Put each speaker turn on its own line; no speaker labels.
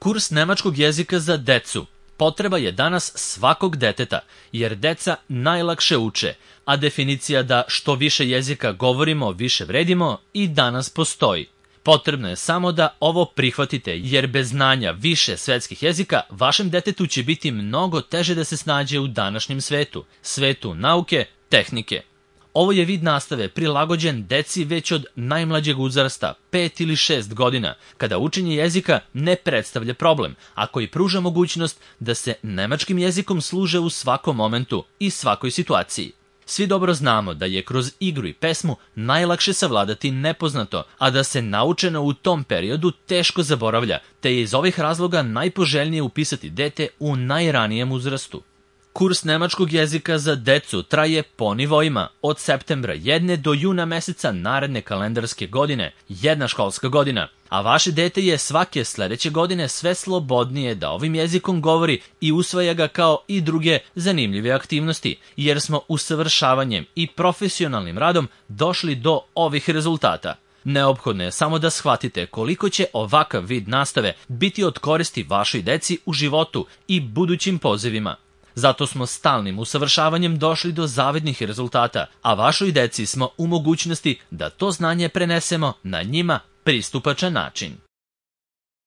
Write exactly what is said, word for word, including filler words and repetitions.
Kurs nemačkog jezika za decu potreba je danas svakog deteta, jer deca najlakše uče, a definicija da što više jezika govorimo, više vredimo i danas postoji. Potrebno je samo da ovo prihvatite, jer bez znanja više svetskih jezika vašem detetu će biti mnogo teže da se snađe u današnjem svetu, svetu nauke, tehnike. Ovo je vid nastave prilagođen deci već od najmlađeg uzrasta, pet ili šest godina, kada učenje jezika ne predstavlja problem, a koji pruža mogućnost da se nemačkim jezikom služe u svakom momentu i svakoj situaciji. Svi dobro znamo da je kroz igru i pesmu najlakše savladati nepoznato, a da se naučeno u tom periodu teško zaboravlja, te je iz ovih razloga najpoželjnije upisati dete u najranijem uzrastu. Kurs nemačkog jezika za decu traje po nivoima, od septembra jedne do juna meseca naredne kalendarske godine, jedna školska godina, a vaše dete je svake sledeće godine sve slobodnije da ovim jezikom govori i usvaja ga kao i druge zanimljive aktivnosti, jer smo usavršavanjem i profesionalnim radom došli do ovih rezultata. Neophodno je samo da shvatite koliko će ovakav vid nastave biti od koristi vašoj deci u životu i budućim pozivima. Zato smo stalnim usavršavanjem došli do zavidnih rezultata, a vašoj deci smo u mogućnosti da to znanje prenesemo na njima pristupačan način.